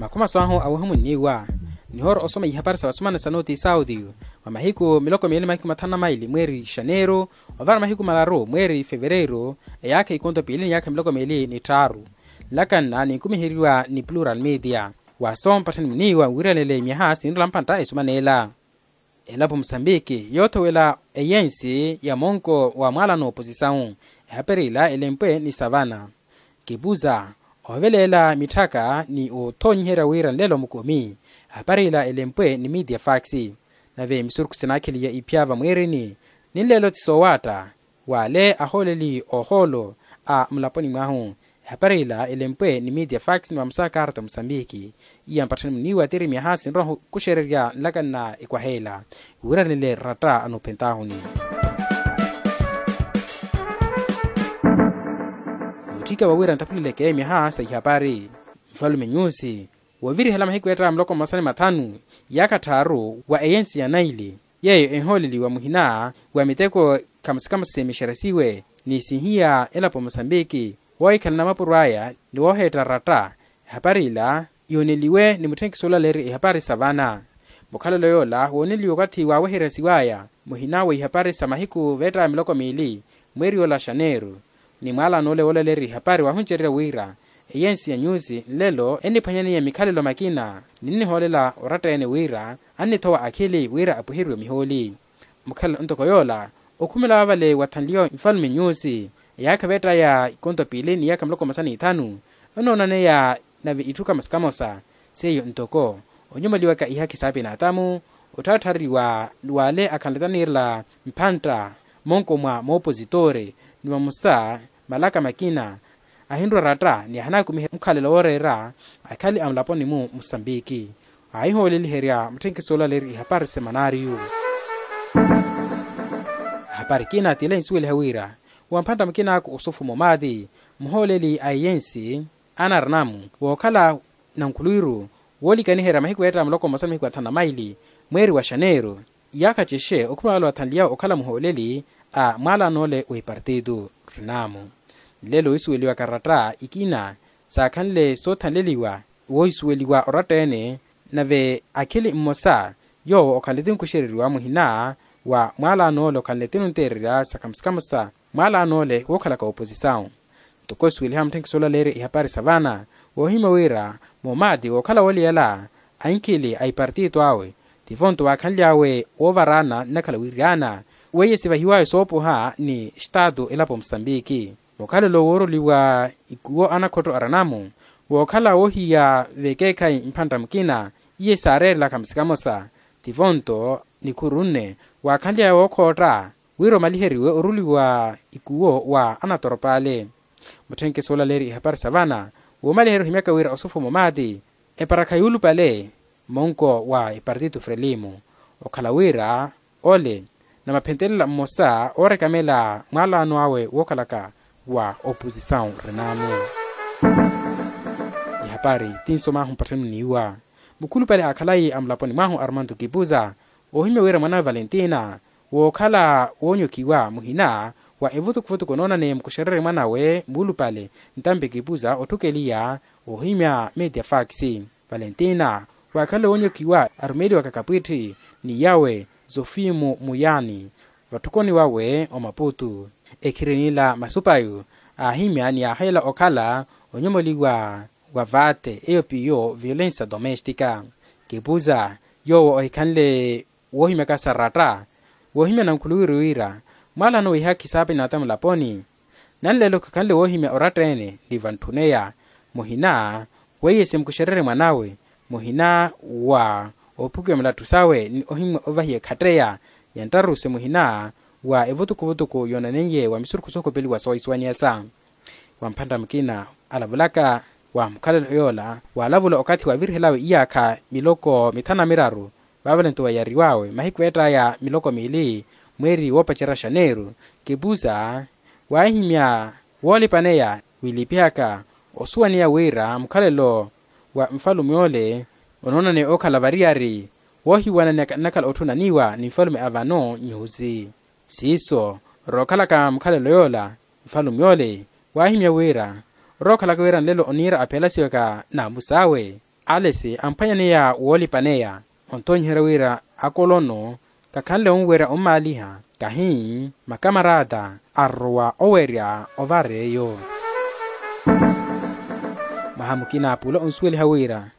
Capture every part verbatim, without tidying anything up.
Akhumaso ahu awehumunniwa nihoora osoma ihapari sa vasumani sa noti sauti. Mwa mahiku miloko miili mahiku mathanu na maili mweeri xaneeru, ovara mahiku malaru mweeri fevereeru, eyaakha ikonto piili ni yaakha miloko miili ni tthaaru. Nlakanna ninkumiheriwa ni plural media. Waaso mpatthani muniiwa wiiranele myaha sinrula mpantta esumanela. Elapo musambiki yoothowela eyensi ya monko wa mwaalano opozisau. Ehapari ila elempwe ni savana. Kipuza, ovelela mitthaka ni othoonyiherya wira nlelo mukumi. Ehapari ila elempwe ni media fax. Nave misurukhu sinaakheliya iphya vamwiirini, ni nlelo ti soowaatta wale ahooleli ohoolo a mulaponi mwahu. Ehapari ila elempwe ni media fax ni vamusa karta musambiki. Iya mpatthani muniiwa tiri myaha sinroha kuxererya nlakanna ekwaha ela wiiranele ratta anoophentahuni. Nootthika wawira nttaphuleleke myaha sa ihapari. Nfalume nyusi, woovirihela mahiku eetta muloko mmosa ni mathanu, iyaakha tthaaru wa eyensi ya naili yeeyo ehooleliwa muhina wa miteko khamusikhamusi mixeresiwe ni sihiya elapo musambiki. Woohikhalana mapuro aya ni wooheetta ratta. Ehapari ila yooneliwe ni mutthenkiso olaleeri ehapari sa vana. Mukhalelo yoola wooneliwe okathi waaweherya siwaya muhina wa ihapari sa mahiku veettaya miloko miili mweeri yoola xaneeru. Ni mwaalano ole woolaleeri ihapari waahuncererya wira eyensi ya nyusi nlelo enniphwanyaniye mikhalelo makina ninnihoolela oratta-ene wira annithowa akhili wira apwiheriwe mihooli. Mukhalelo ntoko yoola okhumela waavale wathanliwa nfalume nyusi eyaakha veettaya ikonto piili ni yaakha miloko mmosa ni ithanu. Onoonaneya nave itthu kamosa kamosa seiyo ntoko onyomoliwaka ihakhi saapinatamu, otthaatthareriwa wale akhanletaniirela mphantta monko mwa moopozitore ni vamusa malaka makina ahinrwa ratta ni ahanaakumiha mukhalelo wooreera akhali a mulaponi-mu musambiki. Aahihooleliherya mutthenkiso olaleeri ihapari semanariyu. Ahapari kina tile nsuweliha wira wa mphantta mukinaaku osufu momati muhooleli a eyensi anaranamu wookhala nankhuluwiru woolikaniherya mahiku eetta muloko mmosa ni mahiku athanu na maili mweeri wa xaneeru. Iyaakha cexe okhuma wale wathanliy'awe okhala muhooleli a mwaalano ole wa ipartitu. Rinamu nlelo oisuweliwaka ratta ikina saakhanle soothanleliwa woohisuweliwa oratta-ene. Nave akhili mmosa yoowo okhanle ti nkuxereriwa muhina wa mwaalano ole okhanle ti nunteererya sa khamusikhamusa mwaalano ole wookhalaka opozisau. Ntoko osuweliha mutthenkiso olaleerya ihapari sa vana woohimya wira momati wookhala wooliyala ankhili a ipartitu awe tivo nto waakhanly'awe woovaraana nnakhala wiiryaana weiye sivahiwawe soopoha ni staatu elapo musambiki. Mukhalelo wooroliwa ikuwo anakhotto aranamu wookhala woohiya vekeekhayi mphantta mukina iye saareerelaka musikamosa tivo nto nikhuru nne waakhanly'awe wookhootta wira omaliheriwe oruliwa ikuwo wa anatoropale. Mutthenkeso olaleerya ihapari sa vana woomaliherya ohimyaka wira osufu momati eparakha yuulupale monko wa epartitu frelimu okhala wira ole namaphentelela mmosa oorekamela mwaalano awe wookhalaka wa opozisau renamu. Ihapari ti nsomahu mpatthani muniiwa mukhulupale aakhalayi a mulaponi mwahu armanto kipuza oohimya wira mwanawe valentina wookhala woonyokhiwa muhina wa evutukuvutuku onoonaneye mukuxererye mwanawe muulupale ntampi kipuza otthukeliya oohimya media fax. Valentina waakhanle woonyokhiwa arumeliwaka kapwitthi ni yawe zofimu muyani vatthukoni wawe omaputu ekhirinila masupayu aahimya ni aaheela okhala onyomoliwa wa vaate eyo piyo violensa domestika. Kipuza yoowo ohikhanle woohimyaka sa ratta woohimya nankhuluwiru wira mwaalano wihakhi saapinata mulaponi nanlelo khikhanle woohimya oratta-ene ni vantthuneya muhina weiye simukuxererye mwanawe muhina wa oophukiwa mulattu sawe ni ohimya ovahiya ekhatteya ya nttarusi muhina wa evutukuvutuku yoonaneiye wa misurukhu sookhopeliwa soohisuwaniyasa. Wa mphantta mukina alavulaka wa mukhalelo yoola waalavula okathi waavirihelawe iyaakha miloko mithanu na miraru vaavale nto wayariw'awe mahiku eett'aya miloko miili mweeri woopacerya xaneeru kipuza waahimya woolipaneya wiilipihaka osuwaneya wira mukhalelo wa nfalume ole onoonaneya okhala variyari woohiwananeyaka nnakhala otthunaniwa ni nfalume a vano nyusi siiso rookhalaka mukhalelo yoola nfalume ole waahimya wira rookhalaka wira nlelo oniira aphelasiwaka n'amus'awe Alesi amphwanyaneya woolipaneya, onthoonyiherya wira akolono kakhanle onwerya ommaaliha, kahi makamarata arrowa owerya ovara eyo. Mwaha mukina pula onsuweliha wira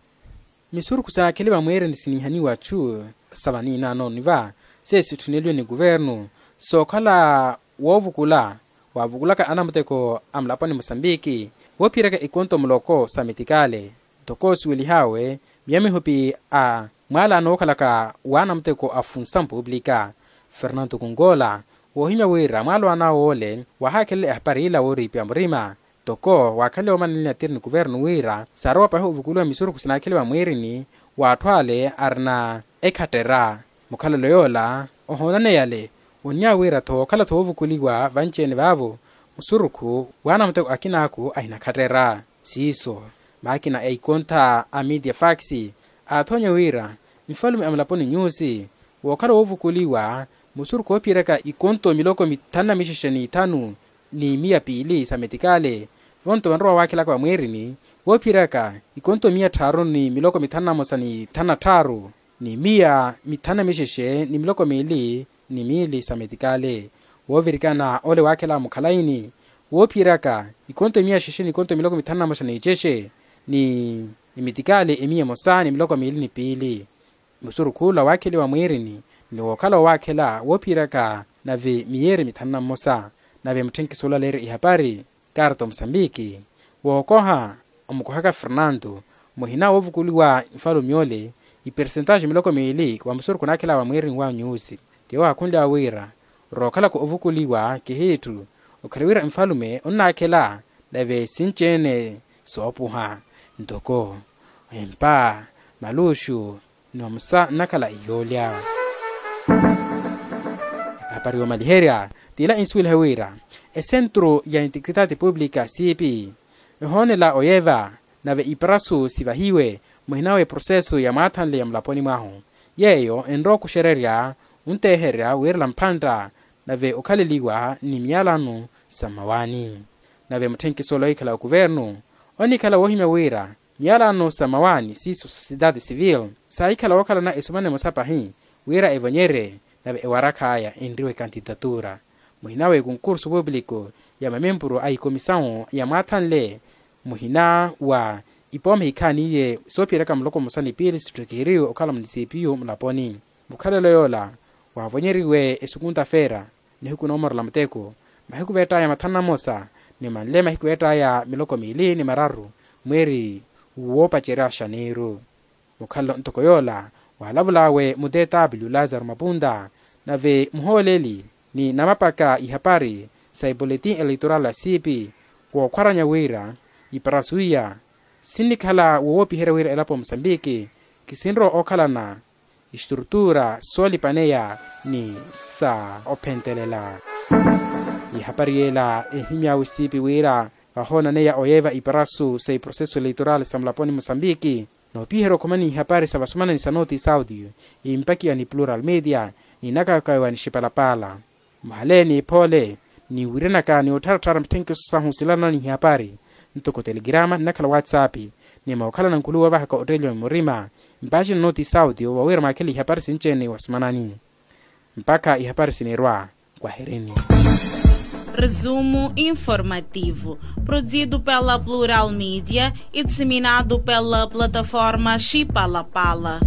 misurukhu saakhele vamweereni siniihaniwa chu sa vaniinanoni va seesitthuneliwe ni kuvernu sookhala woovukula waavukulaka anamuteko a mulaponi musambiki, woophiyeryaka ikonto muloko sa metikale. Ntoko osiwelih'awe miya mihupi a mwaalaano wookhalaka w'anamuteko a funsamu puuplika fernanto kunkola, woohimya wira mwaalo an'awe ole waahaakhelela ehapari ila wooriipiwa murima. Ntoko waakhanle omananela ni atiri ni kuvernu wira saarowa pahi ovukuliwa misurukhu sinaakhele vamwiirini w'atthu ale arina ekhattera. Mukhalelo yoola ohoonaneyale onnya wira-tho wookhala-tho woovukuliwa vanci-ene vaavo musurukhu w'anamuteko akinaaku ahinakhattera. Siiso maakina a ikontha a media fax aathoonya wira nfalume a mulaponi nyuusi wookhala woovukuliwa musurukhu woophiyeryaka ikonto miloko mithanu na mixexe n'ithanu ni miya piili sa metikale vonto vanrowa waakhelaka vamwiirini woophiyeryaka ikonto miya tthaaru ni miloko mithanu na mosa ni thanu na tthaaru ni miya mithanu na mixexe ni miloko miili ni miili sa metikale. Woovirikana ole waakhela mukhalayini woophiyeryaka ikonto miya xexe ni ikonto miloko mithanu na mosa ni cexe ni emetikale emiya emosa ni miloko miili ni piili. Musurukhu ola waakheliwa mwiirini ni wookhala owaakhela woophiyeryaka nave miyeeri mithanu na mmosa. Nave mutthenkiso ola aleerya ihapari karto musambiki wookoha omukohaka fernanto muhina woovukuliwa nfalume ole ipersentaxi miloko miili wa musurukhu onaakhela vamwiirini wa nyuusi. Tiyo waakhunlya wira rookhalaka ovukuliwa kihiitthu okhale wira nfalume onnaakhela nave sinci-ene soopuha ntoko empa maluxu ni mamusa nnakhala iyoolya. Ehapari yoomaliherya t'ila insuwelihe wira esentru ya integritati publika siipi ehoonela oyeva nave iparasu sivahiwe muhina w'eprosesu ya mwaathanle ya mulaponi mwahu yeeyo enrowa okuxererya onteeherya wiirela mphantta nave okhaleliwa ni miyalano sa mmawaani. Nave mutthenkiso ola oikhala okuvernu onikhala woohimya wira miyalano sa mmawaani siiso sosiyetaati sivili saahikhala wookhalana esumana emosa pahi wira evonyerye nave ewarakh'aya enriwe kantitatura muhina w'ekonkursu puupuliko ya mamempuru a ikomisawu ya mwaathanle muhina wa ipoomi ehikhaaniye soophiyeryaka muloko mmosa ni piili sitthu kihiriwe okhala munisipiyu mulaponi. Mukhalelo yoola waavonyeriwe esukunta feera nihiku noomorela muteko mahiku veett'aya mathanu na mmosa ni manle mahiku veett'aya miloko miili ni mararu mweeri woopacerya xaniiru. Mukhalelo ntoko yoola waalavul'awe mu tw lazaro mapunta nave muhooleli ni namapaka ihapari sa ipoletin eleitoral ya siipi wookhwaranya wira iparasu iya sinnikhala wowoopiherya wira elapo musambiki kisinrowa ookhalana istrutura soolipaneya ni sa ophentelela. Ihapari yeela ehimy'awe siipi wira vahoonaneya oyeeva iparasu sa iproseso eleitoral sa mulaponi musambiki noopiherya okhomani ihapari sa vasumanani sa noti saudio impakiwa ni plural media ni nakakawiwa ni xipalapala. Muhale ni iphoole ni wiiranaka ni ottharattharya mithenkiso sahu silalana ni ihapari ntoko telegirama nnakhala whatsapp ni mookhalana nkhuluwa ovahaka otteeliwa murima mpaxina noti saudio vawira mwaakhele ihapari sinci-ene wasumanani. Mpakha ihapari sinirwa kwaherini. Resumo informativo, produzido pela plural media e disseminado pela plataforma xipalapala.